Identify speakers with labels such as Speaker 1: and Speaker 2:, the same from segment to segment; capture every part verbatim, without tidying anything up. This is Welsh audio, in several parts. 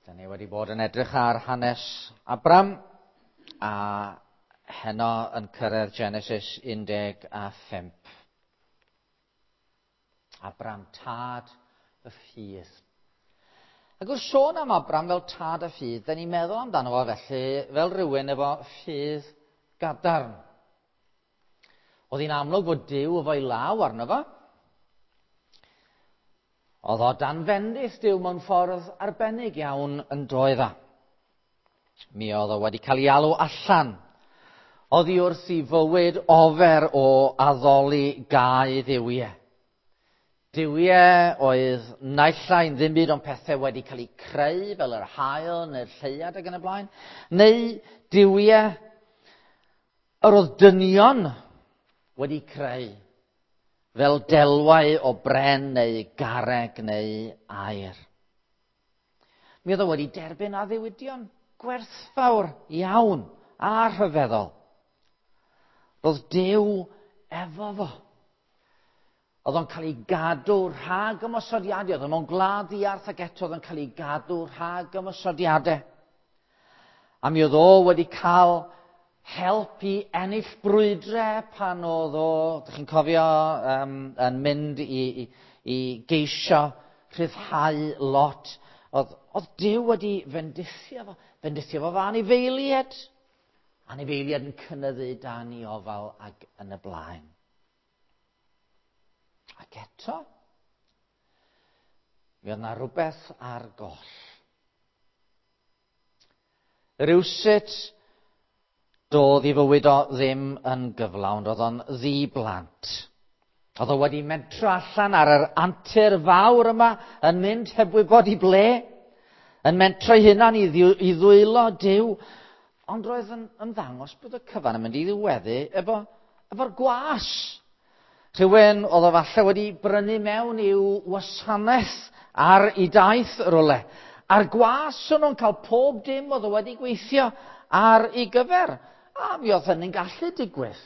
Speaker 1: Da ni wedi bod yn edrych ar hanes Abram a heno yn cyrraedd Genesis un deg a phump. Abram, tad y ffydd. Ac wrth sôn am Abram fel tad y ffydd, da ni'n meddwl amdano fo felly fel rhywun efo ffydd gadarn. Oedd hi'n amlwg fod Duw efo'i law arno fo. Oedd o dan fendith Duw mewn ffordd arbennig iawn yn doedd o. Mi oedd o wedi cael ei alw allan oddi wrth i fywyd ofer o addoli gau dduwiau. Duwiau oedd naill ai'n ddim byd ond pethau wedi cael eu creu fel yr haul neu'r lleuad ac yn y blaen, neu duwiau yr oedd dynion wedi creu fel delwau o bren neu garreg neu aur. Mi oedd o wedi derbyn addewidion gwerthfawr iawn a rhyfeddol. Roedd Duw efo fo. Oedd o'n cael ei gadw rhag ymosodiadau. Oedd o'n mewn gwlad ddiarth ac eto oedd o'n cael ei gadw rhag ymosodiadau. A mi oedd o wedi cael help i ennill brwydre pan oedd o, dych chi'n cofio, um, yn mynd i, i, i geisio rhyddhau Lot. Oedd, oedd Duw wedi fendithio fo, fendithio fo fo anifeiliaid. Anifeiliaid yn cynyddu dan ei ofal ac yn y blaen. Ac eto, mi oedd yna rhywbeth ar goll. Rywsut doedd i fywyd o ddim yn gyflawn, roedd o'n ddi-blant. Oedd o wedi mentro allan ar yr antur fawr yma, yn mynd heb wybod i ble, yn mentro ei hunan i, i ddwylo Duw, ond roedd yn ymddangos bod y cyfan yn mynd i ddiweddu efo, efo'r gwas. Rhywun oedd o falle wedi brynu mewn i'w wasanaeth ar ei daith rywle. A'r gwas o'n nhw'n cael pob dim oedd o wedi gweithio ar ei gyfer. A mi oedd hynny'n gallu digwydd.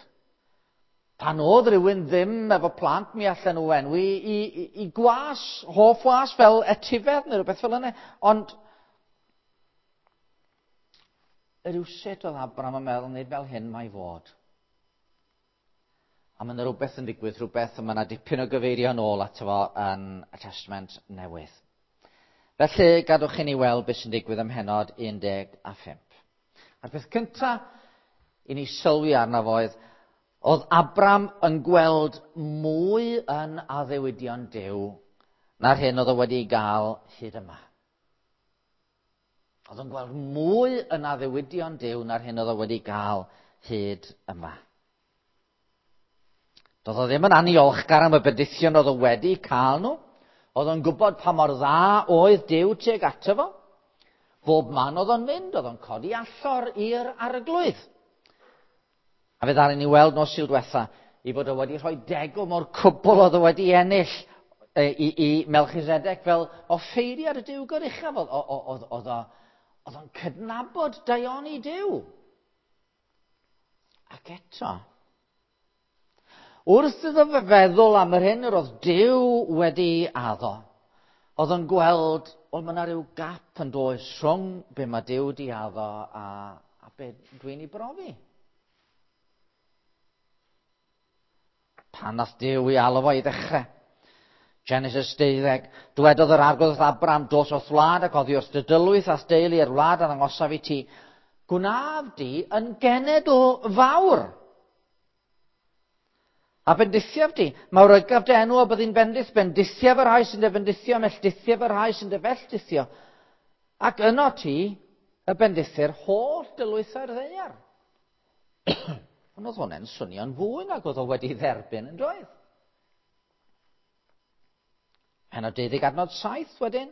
Speaker 1: Pan oedd rhywun ddim efo plant, mi allan nhw enwi i, i, i gwas, hoff was fel etifedd neu rhywbeth fel yna. Ond rywsut oedd Abram yn meddwl, nid fel hyn mae fod. A mae yna rhywbeth yn digwydd, rhywbeth, a mae yna dipyn o gyfeirio yn ôl ato fo yn y Testament Newydd. Felly, gadwch i ni weld beth sy'n digwydd ym mhennod un deg a phump. A'r peth cyntaf i ni sylwi arno fo oedd, oedd Abram yn gweld mwy yn addewidion Duw na'r hyn oedd o wedi gael hyd yma. Oedd o'n gweld mwy yn addewidion Duw na'r hyn oedd o wedi gael hyd yma. Doedd o ddim yn aniolchgar am y bendithion oedd o wedi cael nhw. Oedd o'n gwybod pa mor dda oedd Duw tuag ato fo. Bob man oedd o'n mynd, oedd o'n codi allor i'r arglwydd. A fe ddaru ni weld nos Sul diwetha i fod o wedi rhoi degwm o'r cwbl oedd o wedi ennill i, i, i Melchisedec fel offeiriad y Duw goruchaf. Oedd o'n cydnabod daioni Duw. Ac eto, wrth iddo fe feddwl am yr hyn yr oedd Duw wedi addo, oedd o'n gweld, wel, mae yna rhyw gap yn does rhwng be mae Duw wedi addo a, a be dwi'n ei brofi. Pan nath Duw i alw fo i ddechrau. Genesis deuddeg, dywedodd yr arglwydd wrth Abram, dos o'th wlad ac oddi wrth dy dylwyth a'th deulu i'r wlad a ddangosaf i ti. Gwnaf di yn genedl fawr. A bendithiaf di, mawrygaf dy enw a byddi'n bendith, bendithiaf y rhai sy'n dy fendithio, melltithiaf y rhai sy'n dy felltithio. Ac yno ti y bendithir holl dylwythau'r ddaear. Ond oedd hwnna'n swnio'n fwy nag oedd o wedi dderbyn yn doedd. Pennod deuddeg adnod saith wedyn.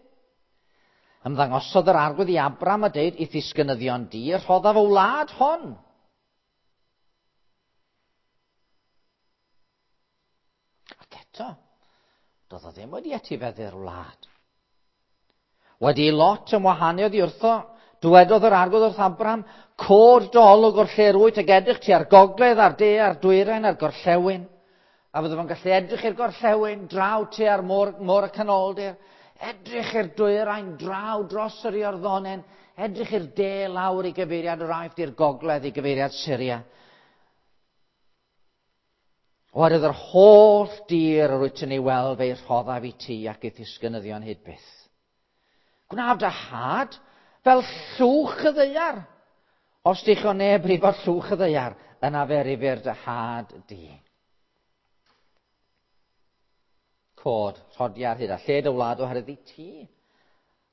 Speaker 1: Ymddangosodd yr arglwydd i Abram a deud, i'th ddisgynyddion di, rhoddaf y wlad hon. Ac eto, doedd o ddim wedi etifeddu'r wlad. Wedi i Lot ymwahanu oddi wrtho, dywedodd yr arglwydd wrth Abram, cod dy olwg o'r lle rwyt ac edrych ti ar gogledd, a'r de, a'r dwyrain, a'r gorllewin. A fydde fo'n gallu edrych i'r gorllewin, draw ti ar môr, môr y canoldir, Edrych i'r dwyrain draw dros yr Iorddonen, edrych i'r de lawr i gyfeiriad yr Aifft, i'r gogledd i gyfeiriad Syria. Oherwydd yr holl dir yr wyt yn ei weld fe'i rhoddaf i ti ac i'th ddisgynyddion hyd byth. Gwnaf dy had fel llwch y ddaear. Os dichon neb rifo llwch y ddaear, yna fe rifir dy had di. Cod, rhodiar hyd a lled y wlad oherwydd i ti,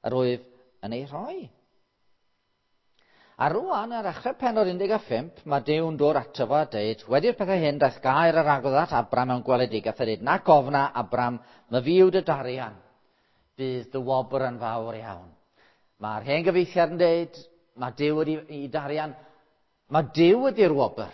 Speaker 1: yr wyf yn ei rhoi. A rwan, ar dechrau pennod un deg pump, mae Duw'n dod ato fo a deud, wedi'r pethau hyn, daeth gair yr Arglwydd at Abram mewn gweledigaeth a dweud, nac ofna, Abram, myfi yw dy darian, bydd dy wobr yn fawr iawn. Mae'r hen gyfieithiad yn deud, mae Duw wedi i darian, mae Duw ydy'r wobr.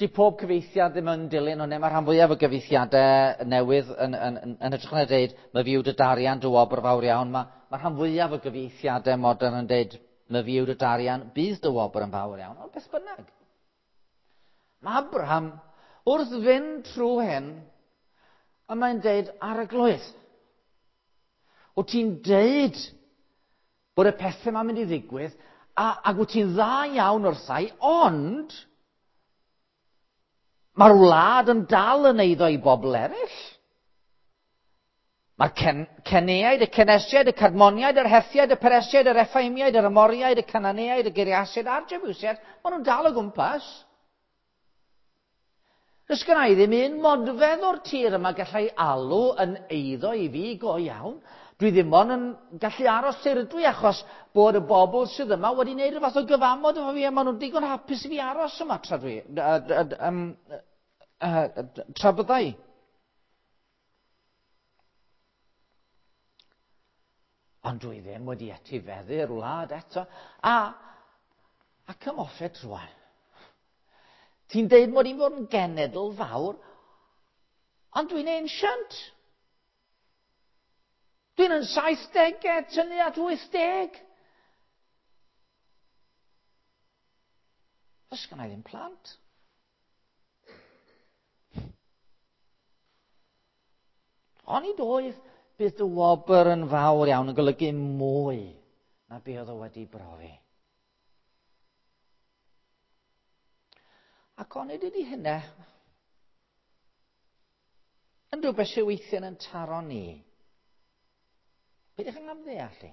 Speaker 1: Di pob cyfieithiad ddim yn dilyn hwnna, mae rhan fwyaf o gyfieithiadau newydd yn, yn, yn, yn hytrach na dweud, mae fi yw dy darian, dy wobr fawr iawn. Mae, mae rhan fwyaf o gyfieithiadau modern yn dweud, mae fi yw dy darian, bydd dy wobr yn fawr iawn. Ond beth bynnag. Mae Abraham, wrth fynd trwy hyn, a mae'n deud, Arglwydd, wyt ti'n deud bod y pethau yma'n mynd i ddigwydd, a, ac wyt ti'n dda iawn wrthai, ond mae'r wlad yn dal yn eiddo i bobl eraill. Mae'r cen, Ceneaid, y Cenesiaid, y Cadmoniaid, yr Hethiaid, y Peresiaid, yr Effaimiaid, yr Amoriaid, y Cananeaid, y Giriasiaid a'r Jebusiaid, maen nhw'n dal o gwmpas. Does gynna i ddim un modfedd o'r tir yma gallai alw yn eiddo i fi go iawn. Dwi ddim ond yn gallu aros lle rydw i achos bod y bobl sydd yma wedi gwneud rhyw fath o gyfamod efo fi a maen nhw'n digon hapus i fi aros yma tra dwi, uh, um, uh, tra byddai. Ond dwi ddim wedi etifeddu'r wlad eto. A, a come off it rwan. Ti'n deud mod i'n fod yn genedl fawr, ond dwi'n ancient. Dwi'n yn saithdegau, tynnu at wythdeg. Does gynna i ddim plant. Onid oedd bydd dy wobr yn fawr iawn yn golygu mwy na be oedd o wedi brofi. Ac onid ydy hynna yn rhywbeth sydd weithiau yn taro ni. Peidiwch yn amddeall i.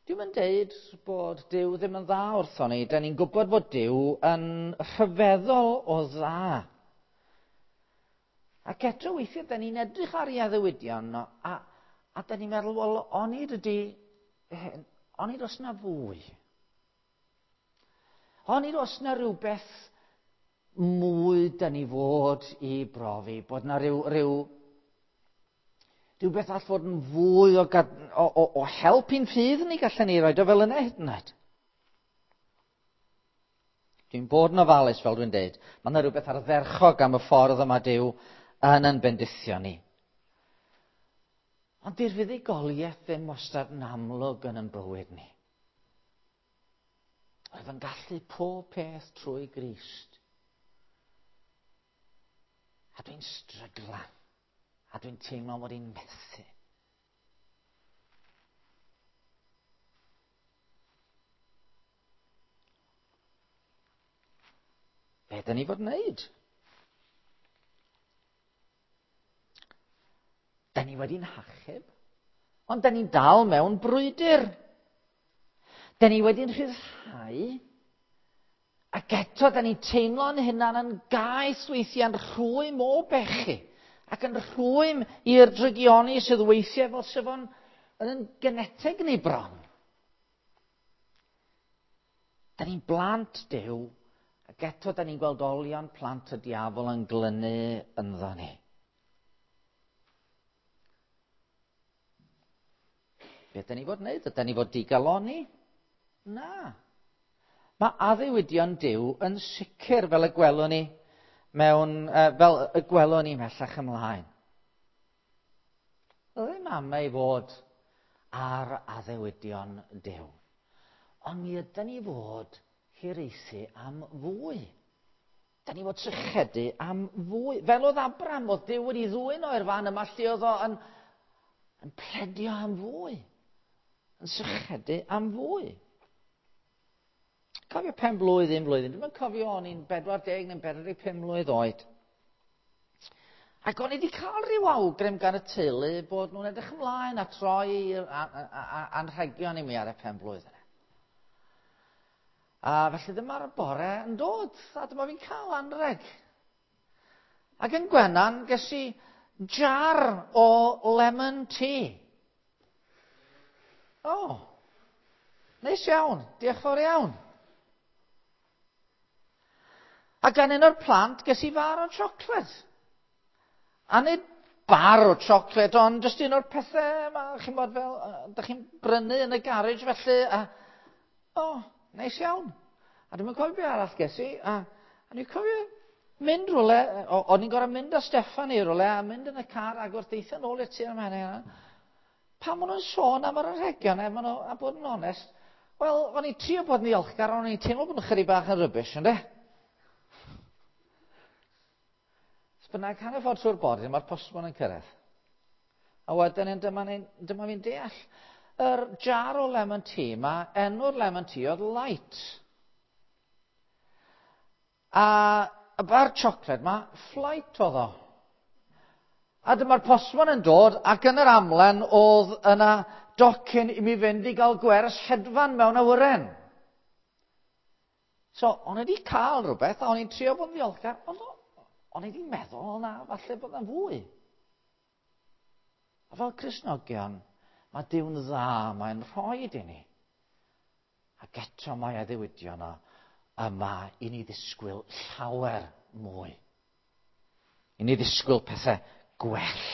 Speaker 1: Dwi'm yn deud bod Duw ddim yn dda wrthon ni. Da ni'n gwybod bod Duw yn rhyfeddol o dda. Ac eto weithiau, da ni'n edrych ar ei addewidion a, a da ni'n meddwl, wel, onid ydy, onid oes na fwy? Onid oes na rhywbeth mwy da ni fod i brofi, bod na rhyw, rhyw rhywbeth all fod yn fwy o, o, o, o help i'n ffydd ni gallen ni roed o fel yna hyd yn oed. Dwi'n bod yn ofalus, fel dwi'n deud. Mae yna rhywbeth ardderchog am y ffordd yma Duw yn yn bendithio ni. Ond di'r fuddugoliaeth ddim wastad yn amlwg yn ein bywyd ni. Oedd yn gallu pob peth trwy Grist. A dwi'n stryglan. A dwi'n teimlo mod i'n methu. Be dyn ni fod yn wneud? Da ni wedi'n hachub, ond da ni'n dal mewn brwydr. Da ni wedi'n rhyddhau, ac eto da ni'n teimlo'n hunan yn gaeth weithiau'n rhwym o bechu, ac yn rhwym i'r drygioni sydd weithiau fel sef o'n yn geneteg ni bron. Da ni'n blant Duw, ac eto da ni'n gweld olion plant y diafol yn glynu ynddo ni. Be da ni fod wneud? Ydy ni fod digaloni? Na. Mae addewidion Duw yn sicr fel y gwelwn ni mewn, uh, fel y gwelwn ni mhellach ymlaen. Ddim am ei fod ar addewidion Duw. Ond mi ydy ni fod hiraethu am fwy. Da ni fod sychedu am fwy. Fel oedd Abram, oedd Duw wedi ddwyn o'r fan yma lle oedd o yn, yn pledio am fwy. Yn sychedu am fwy. Cofio pen blwydd un blwyddyn. Dwi'n cofio o'n i'n bedwar deg neu'n bedwar deg pum mlwydd oed. Ac o'n i wedi cael rhyw awgrym gan y teulu bod nhw'n edrych ymlaen at roi anrhegion i mi ar y pen blwydd yna. A felly dyma'r bore yn dod, a dyma fi'n cael anreg. Ac yn Gwenan, ges i jar o lemon tea. O, oh, neis iawn, diolch fawr iawn. A gan un o'r plant, ges i far o siocled. A nid bar o siocled, ond jyst un o'r pethau yma, chi'n bod fel, da chi'n brynu yn y garej felly, a, o, oh, neis iawn. A dwi'n cofio beth arall ges i, a, a dwi'n cofio mynd rhywle, o'n i'n gorfod mynd â Steffan i rhywle, a mynd yn y car ac wrth deithio nôl i'r tŷ am hynny. Pan maen nhw'n sôn am yr anrhegion, e, maen nhw, a bod yn onest, wel, o'n i'n trio bod yn ddiolchgar, ond o'n i'n teimlo bod nhw'n chydig bach yn rubbish, ynde? Bynnag hanner ffordd trwy'r bore, mae'r postmon yn cyrraedd. A wedyn dyma, dyma fi'n deall. Yr jar o lemon tea, mae enw'r lemon tea oedd Light. A y bar siocled ma, Flight oedd o. A dyma'r postmon yn dod, ac yn yr amlen oedd yna docyn i mi fynd i gael gwers hedfan mewn awyren. So, o'n i wedi cael rhywbeth, a o'n i'n trio bod yn ddiolchgar, ond o'n i wedi meddwl, na, falle bod yna fwy. A fel Cristnogion, mae Duw'n dda, mae'n rhoi i ni. Ac eto mae addewidion o yma i ni ddisgwyl llawer mwy. I ni ddisgwyl pethau gwell.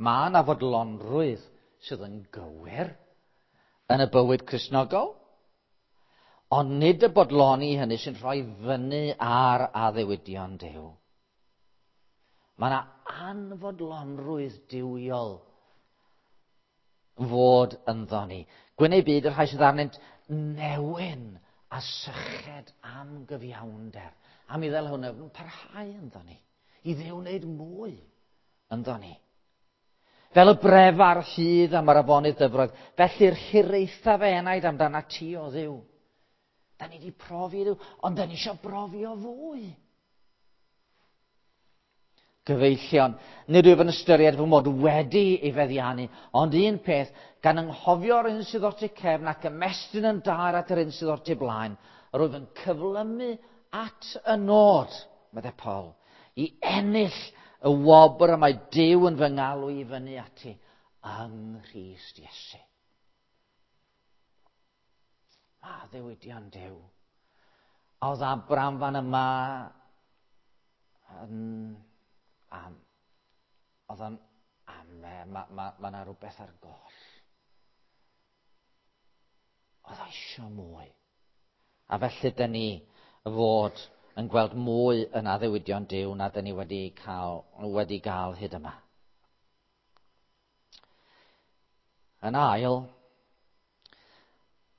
Speaker 1: Mae yna fodlonrwydd sydd yn gywir yn y bywyd Cristnogol, ond nid y bodloni hynny sy'n rhoi fyny ar addewidion Duw. Mae yna anfodlonrwydd duwiol fod ynddo ni. Gwyn eu byd y rhai sydd arnynt newyn a syched am gyfiawnder. Am i ddel hwnna yn parhau ynddo ni. I Dduw wneud mwy ynddo ni. Fel y bref ar hyd am yr afonydd dyfroedd, felly'r hiraetha fe enaid amdana ti o Dduw. Da ni wedi profi Dduw, ond da ni eisiau brofio fwy. Gyfeillion, nid wyf yn ystyried fy mod wedi ei feddiannu, ond un peth, gan anghofio'r un sydd o'r tu cefn ac ymestyn yn daer at yr un sydd o'r tu blaen, yr wyf yn cyflymu at y nod, meddai Paul, i ennill y wobr y mae Duw yn fy ngalw i fyny ati yng Nghrist Iesu. Mae addewidion Duw. A oedd Abram fan yma yn, am, oedd o'n ame, mae ma, ma yna rhywbeth ar goll. Oedd o isio mwy. A felly dyn ni fod yn gweld mwy yn addewidion Duw na dyn ni wedi cael, wedi gael hyd yma. Yn ail,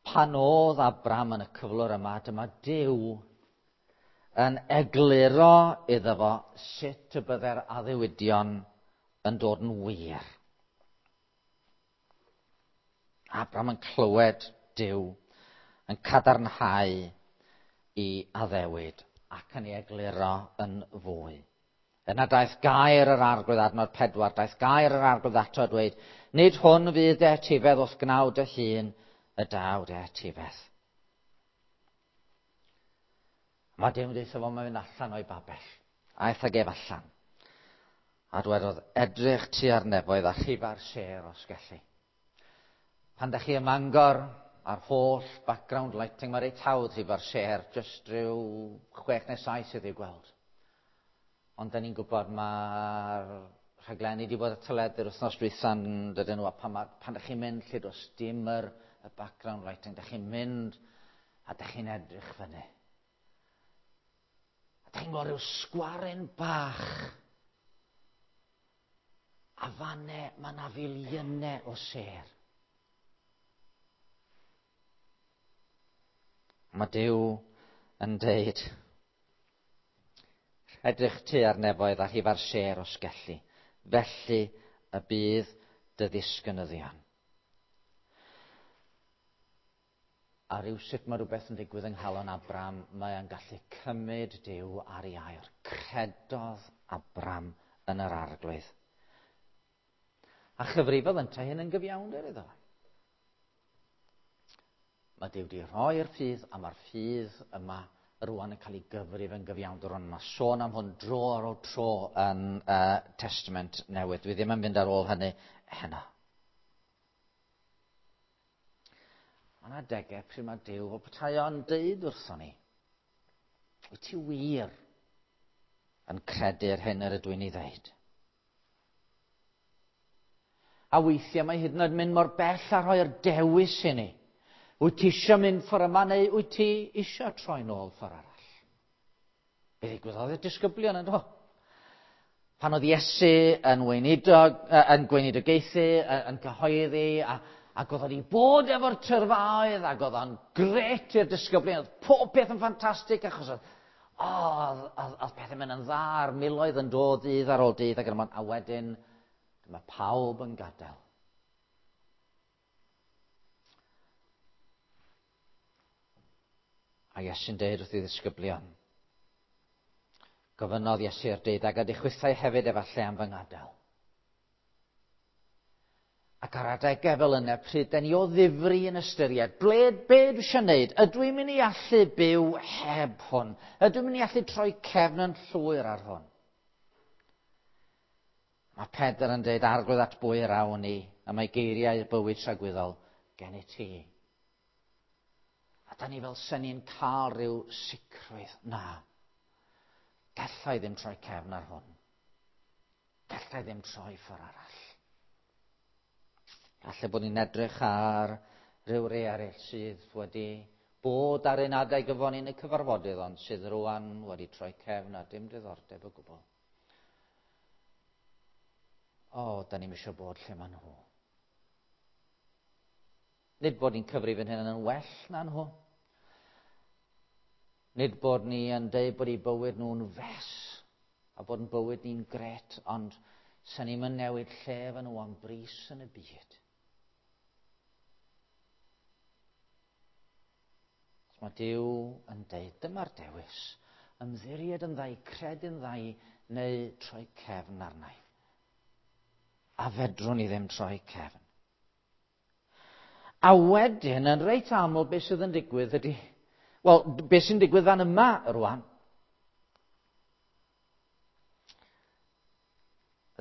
Speaker 1: pan oedd Abram yn y cyflwr yma, dyma Duw yn egluro iddo fo sut y byddai'r addewidion yn dod yn wir. Abram yn clywed Duw yn cadarnhau i addewid ac yn ei egluro yn fwy. Yna daeth gair yr Arglwydd, adnod pedwar, daeth gair yr Arglwydd ato a dweud, nid hwn fydd dy etifedd wrth gnawd dy hun, y daw dy etifedd. Mae Duw yn dweud fo, mae'n mynd allan o'i babell. Aeth ag ef allan. A dwedodd, edrych tua'r nefoedd a rhifa'r sêr os gelli. Pan dach chi ym Mangor, a'r holl background lighting, mae reit hawdd rhifa'r sêr, jyst rhyw chwech neu saith sydd i'w gweld. Ond da ni'n gwybod mae'r rhaglenni wedi bod ar teledu'r wythnos dwytha'n dydyn nhw, a pan, ma, pan dach chi'n mynd lle does dim yr, y background lighting, dach chi'n mynd a dach chi'n edrych fyny. A dach chi'n gweld rhyw sgwaren bach. A fanne mae yna filiynau o sêr. Mae Duw yn deud, edrych tua'r nefoedd a rhifa'r sêr os gelli, felly y bydd dy ddisgynyddion. A rywsut mae rhywbeth yn digwydd yng nghalon Abram, mae o'n gallu cymryd Duw ar ei air. Credodd Abram yn yr Arglwydd. A chyfrifodd yntau hyn yn gyfiawnder iddo. Mae Duw wedi rhoi'r ffydd, a mae'r ffydd yma rwan yn cael ei gyfrif yn gyfiawnder. Ond mae sôn am hwn dro ar ôl tro yn uh, Testament Newydd. Dwi ddim yn mynd ar ôl hynny heno. Mae yna adegau pryd mae Duw fel petai o'n deud wrthon ni, wyt ti wir yn credu'r hyn yr ydw i'n ei ddeud? A weithiau mae hyd yn oed mynd mor bell a rhoi'r dewis i ni. Wyt ti eisiau mynd ffordd yma neu wyt ti eisiau troi nôl ffordd arall? Be ddigwyddodd i'r disgyblion yn do? Pan oedd Iesu yn weinidog, yn gweinidogaethu, yn cyhoeddi, a, ac oedd o'n i bod efo'r tyrfaoedd, ac oedd o'n gret i'r disgyblion, oedd pob peth yn ffantastig, achos oedd, oh, oedd, oedd pethau'n mynd yn dda, a'r miloedd yn dod dydd ar ôl dydd, ac yn a wedyn dyma pawb yn gadael. A Iesu'n deud wrth ei ddisgyblion, gofynnodd Iesu'r deuddeg, a chwithau hefyd efallai am fy ngadael. Ac ar adegau fel yna, pryd den ni o ddifri yn ystyried, ble, be dwi eisiau gwneud? Ydw i'n mynd i allu byw heb hwn? Ydw i'n mynd i allu troi cefn yn llwyr ar hwn? Mae Pedr yn dweud, Arglwydd, at bwy yr awn ni, a mae geiriau bywyd tragwyddol gen i ti. A da ni fel sen ni'n cael rhyw sicrwydd. Na, gallai ddim troi cefn ar hwn. Gallai ddim troi ffordd arall. Falle bod ni'n edrych ar ryw rei eraill sydd wedi bod ar un adeg efo ni yn y cyfarfodydd, ond sydd rwan wedi troi cefn a dim diddordeb o gwbl. O, da ni'm eisiau bod lle maen nhw. Nid bod ni'n cyfrif yn hyn yn well na nhw. Nid bod ni yn deud bod eu bywyd nhw'n fes a bod yn bywyd ni'n gret, ond sa'n ni'n mynd newid lle efo nhw am bris yn y byd. Mae Duw yn deud, dyma'r dewis, ymddiried yn ddau, credu'n ddau, neu troi cefn arnau. A fedrwn ni ddim troi cefn. A wedyn, yn reit aml, beth sydd yn digwydd ydy, wel, beth sy'n digwydd fan yma rwan?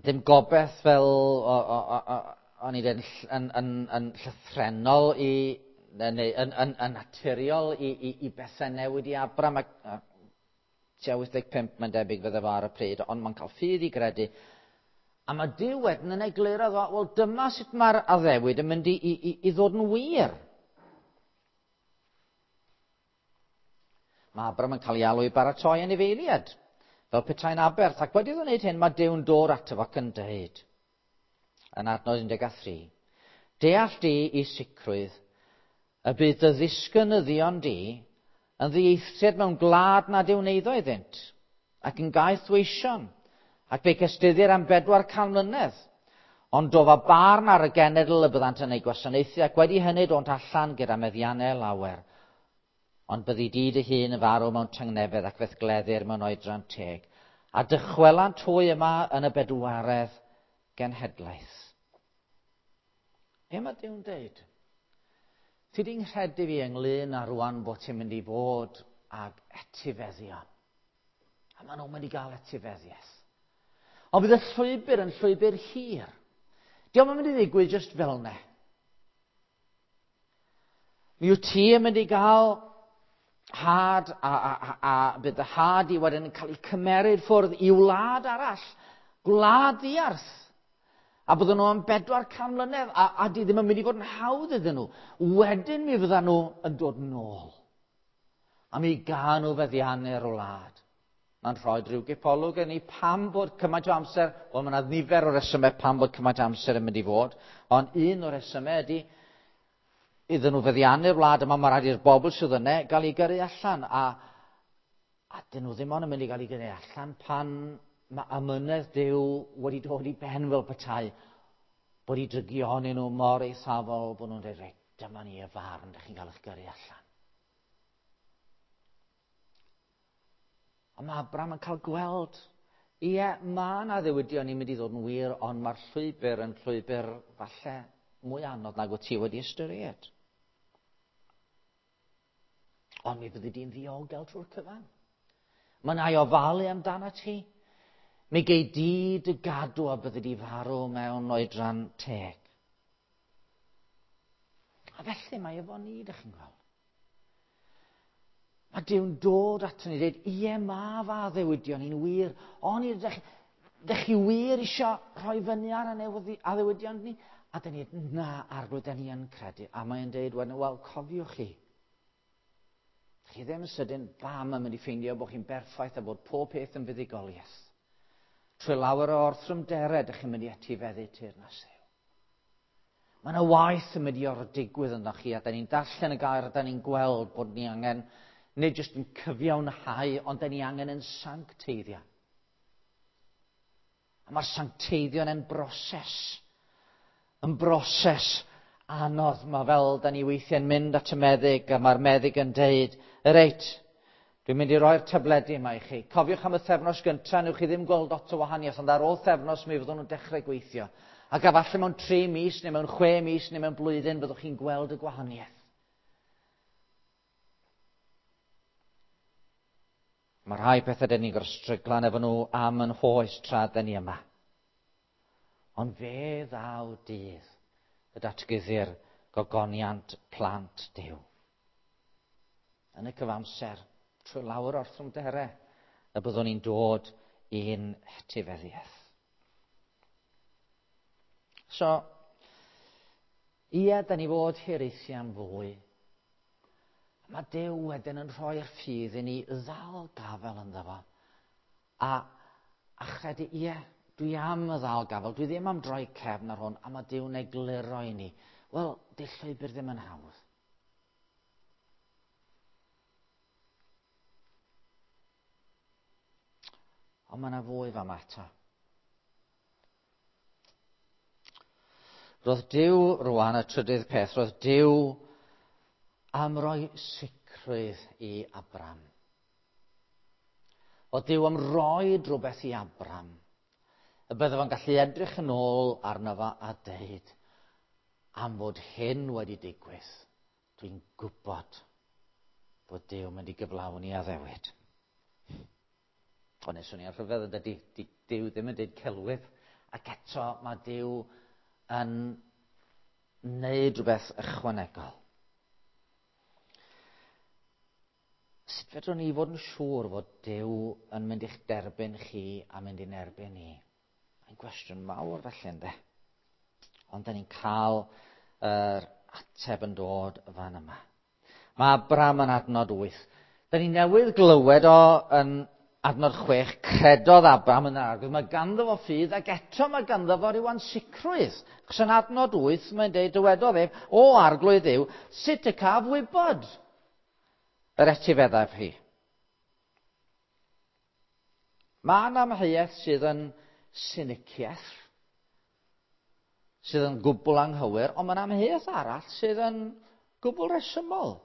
Speaker 1: Dim gobeith fel, o, o, o, o, o'n i dweud, yn, yn, yn llythrennol i, neu yn, yn, yn naturiol i, i, i bethau newid i Abram, ac tua wyth deg pump mae'n debyg fydde fo ar y pryd, ond mae'n cael ffydd i gredu. A mae Duw wedyn yn egluro, wel dyma sut mae'r addewid yn mynd i, i, i ddod yn wir. Mae Abram yn cael ei alw i baratoi anifeiliaid, fel petai'n aberth, ac wedi iddo wneud hyn, mae Duw'n dod ato fo ac yn dweud, yn adnod un deg tri, deall di i sicrwydd y bydd dy ddisgynyddion di yn ddieithriad mewn gwlad nad yw'n eiddo iddynt, ac yn gaeth weision, ac fe cystuddir am bedwar can mlynedd. Ond dofa barn ar y genedl y byddant yn ei gwasanaethu, ac wedi hynny dont allan gyda meddiannau lawer. Ond byddi di dy hun yn farw mewn tangnefedd ac fe'th gleddir mewn oedran teg, a dychwelant hwy yma yn y bedwaredd genhedlaeth. Be mae Duw'n deud? Ti di'n nghredu fi ynglyn â rwan bod ti'n mynd i fod ag etifeddion. A maen nhw'n mynd i gael etifeddiaeth. Ond bydd y llwybr yn llwybr hir. Dio'm yn mynd i ddigwydd jyst fel 'na. Mi wyt ti yn mynd i gael had a, a, a, a bydd y had i wedyn yn cael ei cymeryd ffwrdd i wlad arall, gwlad ddiarth. A bydden nhw am bedwar can mlynedd, a, a di ddim yn mynd i fod yn hawdd iddyn nhw. Wedyn mi fyddan nhw yn dod nôl. A mi gawn nhw feddiannu'r wlad. Mae'n rhoi rhyw gipolwg i ni pam bod cymaint o amser, wel mae yna nifer o resymau pam bod cymaint o amser yn mynd i fod, ond un o'r resymau ydy iddyn nhw feddiannu'r wlad yma, mae rhaid i'r bobl sydd yna gael eu gyrru allan, a, A dyn nhw ddim ond yn mynd i gael ei gyrru allan pan mae amynedd Duw wedi dod i ben fel petai, bod i drygioni nhw mor eithafol bod nhw'n dweud, reit, dyma ni y farn, dych chi'n cael eich gyrru allan. A mae Abraham yn cael gweld, ie, mae yna ddewidion ni'n mynd i ddod yn wir, ond mae'r llwybr yn llwybr falle mwy anodd nag wyt ti wedi ystyried. Ond mi fyddi di'n ddiogel trwy'r cyfan. Mae yna i ofalu amdano ti. Mi gei di dy gadw a byddi di farw mewn oedran teg. A felly mae efo ni, dych chi'n gweld. Mae Duw'n dod ato ni dweud, ie, mae fa addewidion ni'n wir, ond ydych chi, chi wir eisiau rhoi fyny ar addewidion ni? A dyn ni, na, Arglwydd, dyn ni yn credu. A mae'n dweud, wedyn, wel, cofiwch chi. Chi ddim yn sydyn, bam, yn mynd i ffeindio bod chi'n berffaith a bod pob peth yn fuddugoliaeth. Trwy lawer o orthrymderau, dych chi'n mynd i etifeddu teyrnas Dduw. Mae yna waith yn mynd i ordigwydd ynddo chi, a da ni'n darllen y gair, a da ni'n gweld bod ni angen, nid jyst yn cyfiawnhau, ond da ni angen yn sancteiddio. A mae'r sancteiddio yn broses. Yn broses anodd. Mae fel da ni weithiau'n mynd at y meddyg, a mae'r meddyg yn deud, reit, dwi'n mynd i roi'r tabledi yma i chi. Cofiwch am y thefnos gyntaf, newch chi ddim gweld lot o wahaniaeth, ond ar ôl thefnos mi fyddwn nhw'n dechrau gweithio. Ac efallai mewn tri mis, neu mewn chwe mis, neu mewn blwyddyn, byddwch chi'n gweld y gwahaniaeth. Mae rhai pethau dyn ni'n gorfod stryglan efo nhw am yn hoes tra dyn ni yma. Ond fe ddaw dydd y datguddir gogoniant plant Duw. Yn y cyfamser, trwy lawer o'r thrymderau, y byddwn ni'n dod i'n hetifeddiaeth. So, ie, da ni fod hiraethu am fwy. Mae Duw wedyn yn rhoi'r ffydd i ni ddal gafel ynddo fo. A, a chredu, ie, dwi am y ddal gafel, dwi ddim am droi cefn ar hwn, a mae Duw'n egluro i ni. Wel, di'r llwybr ddim yn hawdd. Ond mae yna fwy fama eto. Roedd Duw rwan, y trydydd peth, roedd Duw am roi sicrwydd i Abram. Oedd Duw am roi rhywbeth i Abram, y bydde fo'n gallu edrych yn ôl arno fo a deud, am fod hyn wedi digwydd, dwi'n gwybod bod Duw mynd i gyflawni addewid. Ond nes o'n i'n rhyfedd yn dydy, di Duw ddim yn deud celwydd, ac eto mae Duw yn neud rhywbeth ychwanegol. Sut fedrwn ni fod yn siŵr fod Duw yn mynd i'ch derbyn chi a mynd i'n erbyn ni? Mae'n gwestiwn mawr felly, ynddo? Ond da ni'n cael yr ateb yn dod fan yma. Mae Abram yn adnod wyth. Da ni newydd glywed o yn adnod chwech, credodd Abram yn yr Arglwydd. Mae ganddo fo ffydd ac eto mae ganddo fo ryw ansicrwydd. Achos yn adnod wyth mae'n deud, dywedodd ef, o Arglwydd Dduw, sut y caf wybod yr etifeddaf hi? Mae yna amheuaeth sydd yn siniciaeth, sydd yn gwbl anghywir, ond mae yna amheuaeth arall sydd yn gwbl resymol.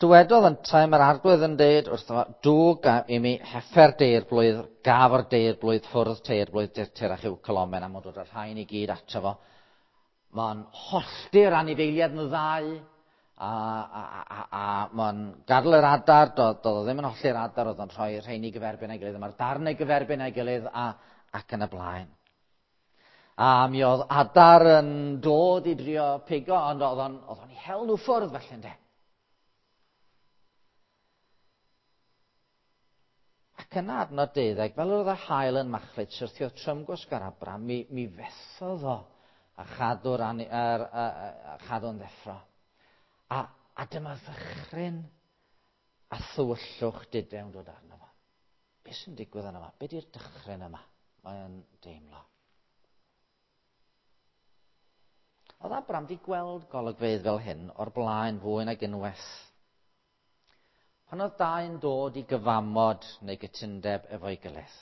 Speaker 1: Dywedodd yntau, mae'r Arglwydd yn deud wrtho fo, dwg i mi heffer deirblwydd, gafr deirblwydd, ffwrdd teirblwydd, dirtir a chyw colomen, a mae'n dod â'r rhain i gyd ato fo. Mae'n hollti'r anifeiliaid yn ddau, a, a, a, a mae'n gadael yr adar, doedd o ddim yn hollti'r adar, oedd o'n rhoi rheini gyferbyn a'i gilydd, mae'r darnau gyferbyn a'i gilydd, a, ac yn y blaen. A mi oedd adar yn dod i drio pigo, ond oedd o'n, oedd o'n i hel nhw ffwrdd felly, ynde. Ac yna adnod deuddeg, fel oedd yr haul yn machlud, syrthiodd trymgwsg ar Abram, mi, mi fethodd o a chadw'r ani, er, a, a, a chadw'n ddeffro. A, a dyma ddychryn a thywyllwch didewn dod arno fo. Be sy'n digwydd arno fo? Be di'r dychryn yma? Mae'n deimlo. Oedd Abram wedi gweld golygfeydd fel hyn o'r blaen fwy nag unwaith. Pan oedd dau'n dod i gyfamod neu gytundeb efo'i gilydd.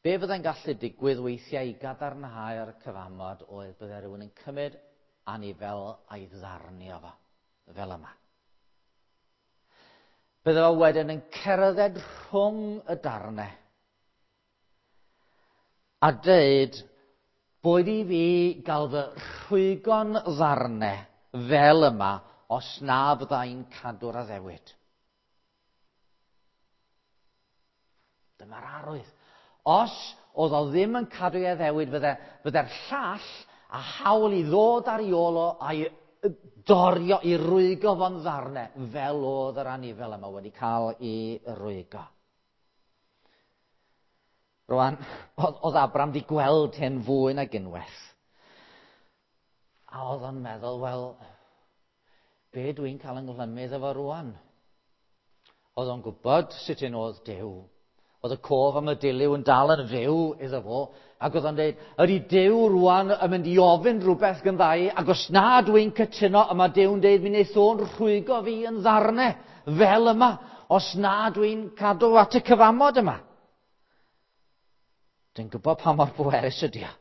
Speaker 1: Be fyddai'n gallu digwydd weithiau i gadarnhau'r cyfamod oedd byddai rhywun yn cymryd anifel a'i ddarnio fo, fel yma. Bydde fo wedyn yn cerdded rhwng y darnau a dweud, boed i fi gael fy rhwygo'n ddarnau fel yma os na fyddai'n cadw'r addewid. Dyma'r arwydd. Os oedd o ddim yn cadw ei addewid, fydde, fydde'r llall a hawl i ddod ar ei ôl o a'i dorio, i rwygo fo'n ddarnau, fel oedd yr anifel yma wedi cael ei rwygo. Rwan, oedd Abram wedi gweld hyn fwy nag unwaith. A oedd o'n meddwl, wel, be dwi'n cael yng nghlymu efo rwan? Oedd o'n gwybod sut un oedd Duw. Oedd y cof am y dilyw yn dal yn fyw iddo fo. Ac oedd o'n dweud, ydy Duw rwan yn mynd i ofyn rhywbeth gynddai, ac os na dwi'n cytuno, yma Duw'n dweud, mi wneith o'n rhwygo fi yn ddarnau, fel yma, os na dwi'n cadw at y cyfamod yma. Dwi'n gwybod pa mor bwerus ydy o.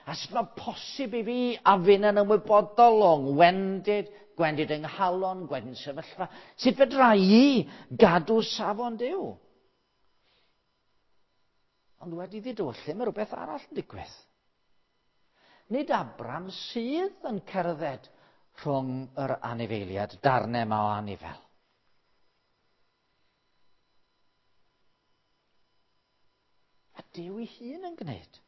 Speaker 1: A sut mae posib i fi a fyn yn ymwybodol o'n gwendid, gwendid yng nghalon, gwendid sefyllfa. Sut fedra i gadw safon Duw? Ond wedi ddidywyllu, mae rhywbeth arall yn digwydd. Nid Abram sydd yn cerdded rhwng yr anifeiliad, darnau yma o anifel. A Duw ei hun yn gwneud.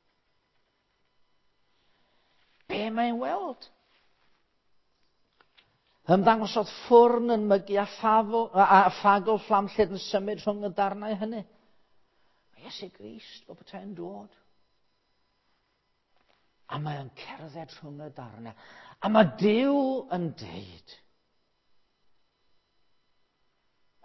Speaker 1: Be mae'n weld? Ymddangosodd ffwrn yn mygu a, ffafl, a ffagl fflamllyd yn symud rhwng y darnau hynny. Mae Iesu Grist fel petai'n dod. A mae o'n cerdded rhwng y darnau. A mae Duw yn deud,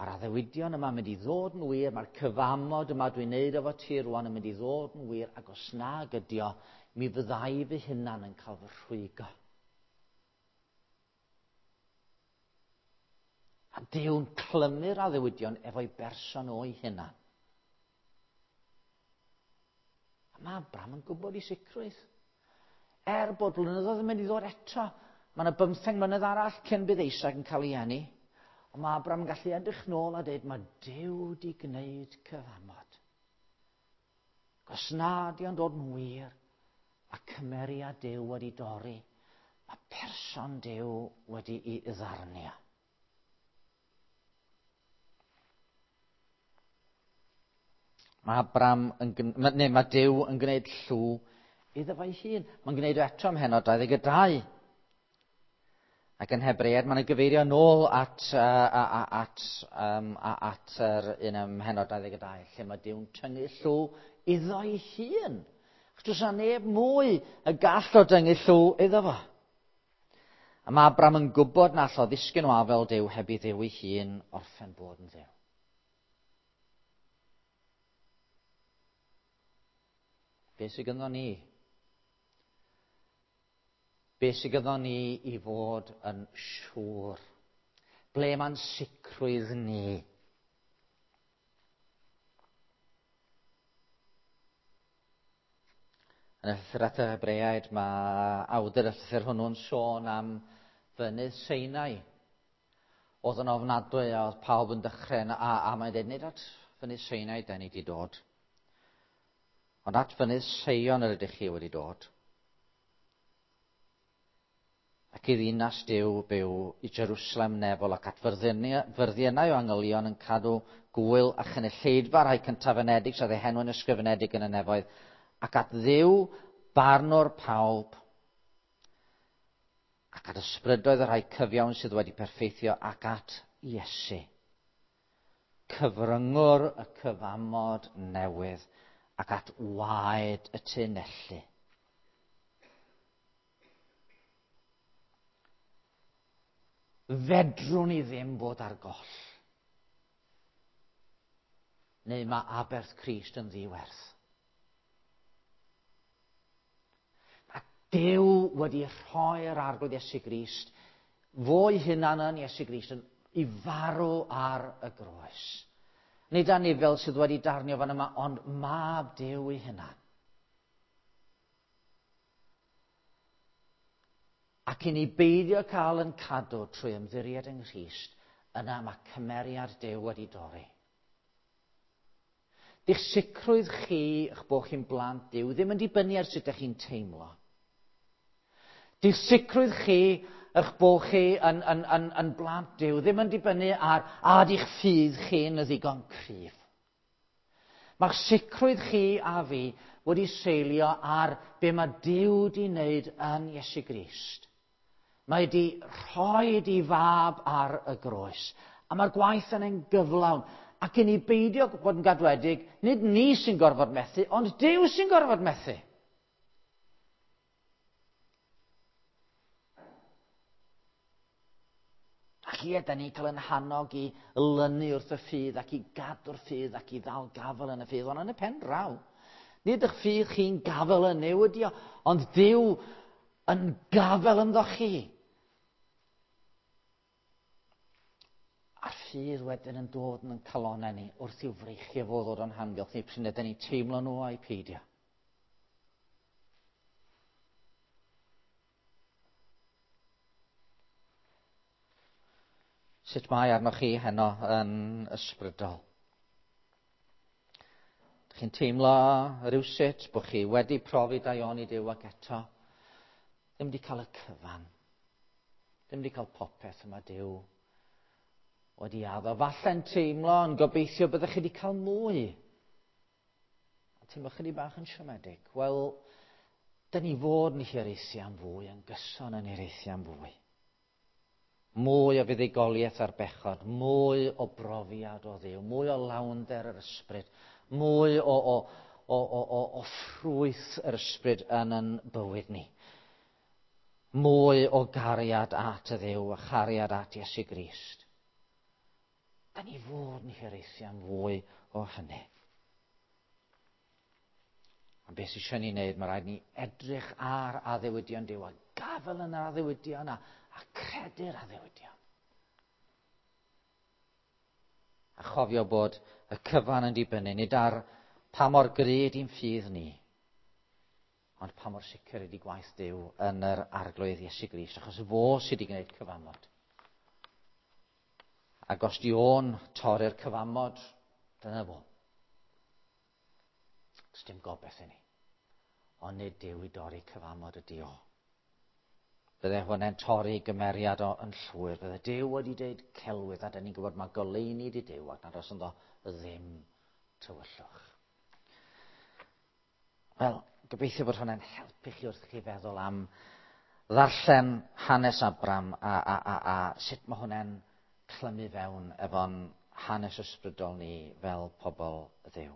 Speaker 1: mae'r addewidion yma yn mynd i ddod yn wir, mae'r cyfamod yma dwi'n neud efo ti rwan yn mynd i ddod yn wir, ac os nag ydi o, mi fyddai fy hunan yn cael fy rhwygo. A Duw'n clymu'r addewidion efo'i berson o'i hunan. A mae Abram yn gwybod i sicrwydd. Er bod blynyddoedd yn mynd i ddod eto, mae yna bymtheng mlynedd arall cyn bydd Isaac yn cael ei eni. Ond mae Abram yn gallu edrych nôl a dweud, mae Duw di gwneud cyfamod. Os na di o'n dod yn wir, a cymeriad Duw wedi dorri, mae person Duw wedi'i ddarnio. Mae Abram yn, neu mae Duw yn gwneud llw iddo fo'i hun. Mae'n gwneud o eto ym mhennod dau ddeg dau. Ac yn Hebreaid, mae'n gyfeirio nôl at, uh, at, um, at yr un ym mhennod dau ddeg dau, lle mae Duw'n tyngu llw iddo'i hun. Achos does 'na neb mwy y gall o dyngu llw iddo fo. A mae Abram yn gwybod na all o ddisgyn o afel Duw heb i Dduw ei hun orffen bod yn Dduw. Be sydd gynno ni? Be sydd gynno ni i fod yn siŵr? Ble mae'n sicrwydd ni? Yn y llythyr at y Hebreaid, mae awdur y llythyr hwnnw'n sôn am fynydd Sinai. Oedd yn ofnadwy a oedd pawb yn dechrau, a, a mae'n dweud, nid at fynydd Sinai da ni wedi dod, ond at fynydd Seion yr ydych chi wedi dod. Ac i ddinas Duw byw i Jerusalem nefol ac at fyrddiynau o angylion yn cadw gwyl a chynulleidfa rhai cyntafenedig sydd eu henw'n ysgrifenedig yn y nefoedd, ac at Dduw barnwr pawb, ac at ysbrydoedd y rhai cyfiawn sydd wedi perffeithio, ac at Iesu, cyfryngwr y cyfamod newydd, ac at waed y tunellu. Fedrwn ni ddim bod ar goll. Neu mae aberth Crist yn ddiwerth. Mae Duw wedi rhoi'r Arglwydd Iesu Grist, fo'i hunan yn Iesu Grist, yn, i farw ar y groes. Nid anifel sydd wedi darnio fan yma, ond mab Duw ei hunan. Ac i ni beidio cael yn cadw trwy ymddiried yng Nghrist, yna mae cymeriad Duw wedi dorri. Di'ch sicrwydd chi, eich bod chi'n blant Duw, ddim yn dibynnu ar sut ydych chi'n teimlo. Di'ch sicrwydd chi, eich bod chi yn, yn, yn, yn blant Duw, ddim yn dibynnu ar a di'ch ffydd chi'n ddigon cryf. Mae'ch sicrwydd chi a fi wedi seilio ar be mae Duw wedi wneud yn Iesu Grist. Mae wedi rhoi ei fab ar y groes. A mae'r gwaith yna'n gyflawn. Ac i ni beidio bod yn gadwedig, nid ni sy'n gorfod methu, ond Duw sy'n gorfod methu. Ac ie, da ni'n cael yn hannog i lynu wrth y ffydd ac i gadw'r ffydd ac i ddal gafel yn y ffydd, ond yn y pen draw. Nid eich ffydd chi'n gafel yn Nuw ydi o, ond Duw yn gafel ynddo chi. A'r ffydd wedyn yn dod yn calonnau ni wrth i'w freichiau fo ddod o'n hamgylch ni, pryd ydyn ni'n teimlo nhw a'i peidio. Sut mae arnoch chi heno yn ysbrydol? Dych chi'n teimlo rhywsut bod chi wedi profi daioni Duw ac eto ddim wedi cael y cyfan. Ddim wedi cael popeth yma Duw wedi addo. Falle'n teimlo yn gobeithio byddech chi wedi cael mwy. A teimlo chydig bach yn siomedig. Wel, dyn ni fod yn hiraethu am fwy, yn gyson yn hiraethu am fwy. Mwy o fuddugoliaeth ar bechod, mwy o brofiad o Dduw, mwy o lawnder yr ysbryd, mwy o, o, o, o, o, o ffrwyth yr ysbryd yn yn bywyd ni. Mwy o gariad at y Dduw a chariad at Iesu Grist. Da ni fod yn hiraethu am fwy o hynny. A beth sydd eisiau ni wneud, mae rhaid ni edrych ar addewidion Duw a gafel yn yr addewidion a, a credu'r addewidion. A chofio bod y cyfan yn dibynnu, nid ar pa mor gry ydy'n ffydd ni, ond pa mor sicr ydy gwaith Duw yn yr Arglwydd Iesu Grist, achos fo sydd wedi gwneud cyfamod. Ac os di o'n torri'r cyfamod, dyna fo. Does dim gobaith i ni. Ond nid Duw i dorri cyfamod ydy o. Bydde hwnna'n torri gymeriad o yn llwyr. Bydde Duw wedi dweud celwydd, a dyn ni'n gwybod mae goleuni di Duw ac nad oes ynddo ddim tywyllwch. Wel, gobeithio bod hwnna'n helpu chi wrth chi feddwl am ddarllen hanes Abram a, a, a, a sut mae hwnna'n clymu fewn efo'n hanes ysbrydol ni fel pobl Dduw.